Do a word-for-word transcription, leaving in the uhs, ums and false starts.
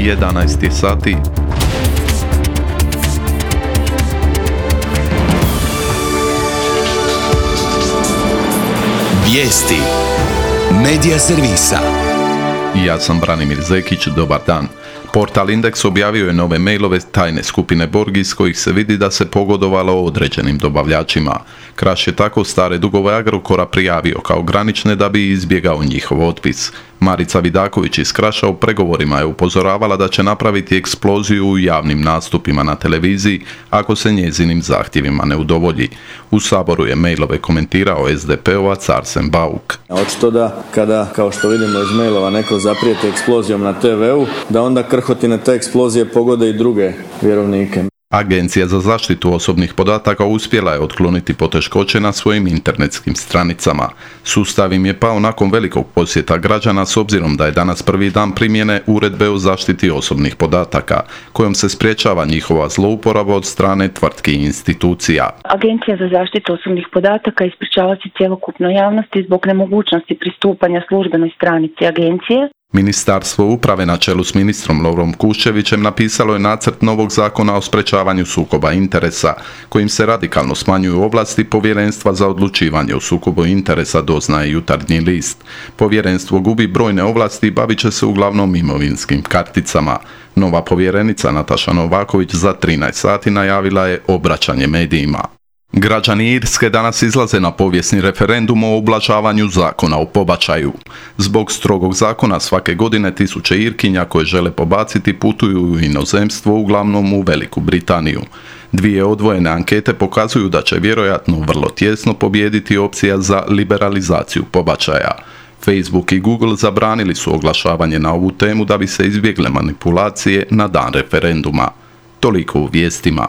jedanaest je sati. Vijesti Medija servisa. Ja sam Branimir Zekić, dobar dan. Portal Indeks objavio je nove mailove tajne skupine Borg iz kojih se vidi da se pogodovalo određenim dobavljačima. Kraš je tako stare dugove Agrokora prijavio kao granične da bi izbjegao njihov otpis. Marica Vidaković iz Kraša u pregovorima je upozoravala da će napraviti eksploziju u javnim nastupima na televiziji ako se njezinim zahtjevima ne udovolji. U Saboru je mailove komentirao es de pe ovac Arsen Bauk. Očito da kada, kao što vidimo iz mailova, neko zaprijeti eksplozijom na te veu, da onda krhotine te eksplozije pogode i druge vjerovnike. Agencija za zaštitu osobnih podataka uspjela je otkloniti poteškoće na svojim internetskim stranicama. Sustav im je pao nakon velikog posjeta građana s obzirom da je danas prvi dan primjene uredbe o zaštiti osobnih podataka, kojom se sprječava njihova zlouporaba od strane tvrtki i institucija. Agencija za zaštitu osobnih podataka ispričava se cjelokupnoj javnosti zbog nemogućnosti pristupanja službenoj stranici agencije. Ministarstvo uprave na čelu s ministrom Lovrom Kuščevićem napisalo je nacrt novog zakona o sprečavanju sukoba interesa, kojim se radikalno smanjuju ovlasti Povjerenstva za odlučivanje o sukobu interesa, doznaje Jutarnji list. Povjerenstvo gubi brojne ovlasti i bavit će se uglavnom imovinskim karticama. Nova povjerenica Nataša Novaković za trinaest sati najavila je obraćanje medijima. Građani Irske danas izlaze na povijesni referendum o ublažavanju zakona o pobačaju. Zbog strogog zakona svake godine tisuće Irkinja koje žele pobaciti putuju u inozemstvo, uglavnom u Veliku Britaniju. Dvije odvojene ankete pokazuju da će vjerojatno vrlo tjesno pobijediti opcija za liberalizaciju pobačaja. Facebook i Google zabranili su oglašavanje na ovu temu da bi se izbjegle manipulacije na dan referenduma. Toliko u vijestima.